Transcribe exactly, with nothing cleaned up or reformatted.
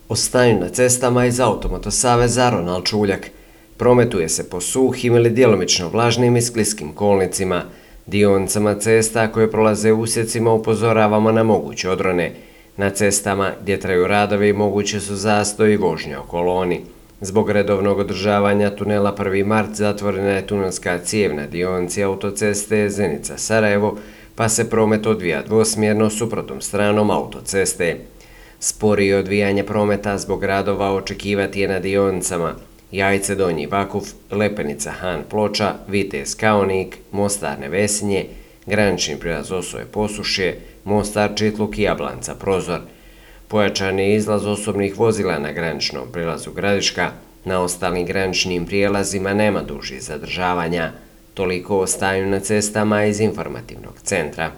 O stanju na cestama iz Automoto saveza Ronald Čuljak. Prometuje se po suhim ili djelomično vlažnim i skliskim kolnicima. Dionicama cesta koje prolaze usjecima upozoravamo na moguće odrone. Na cestama gdje traju radovi moguće su zastoj i vožnja u koloni. Zbog redovnog održavanja tunela prvi mart zatvorena je tunelska cijev na dionici autoceste Zenica-Sarajevo, pa se promet odvija dvosmjerno suprotnom stranom autoceste. Sporije odvijanje prometa zbog radova očekivati je na dionicama Jajce Donji Vakuf, Lepenica Han Ploča, Vitez Kaonik, Mostar Nevesinje, granični prilaz Osoje Posušje, Mostar Čitluk i Jablanca Prozor. Pojačan je izlaz osobnih vozila na graničnom prilazu Gradiška, na ostalim graničnim prijelazima nema dužih zadržavanja. Toliko o stanju na cestama iz informativnog centra.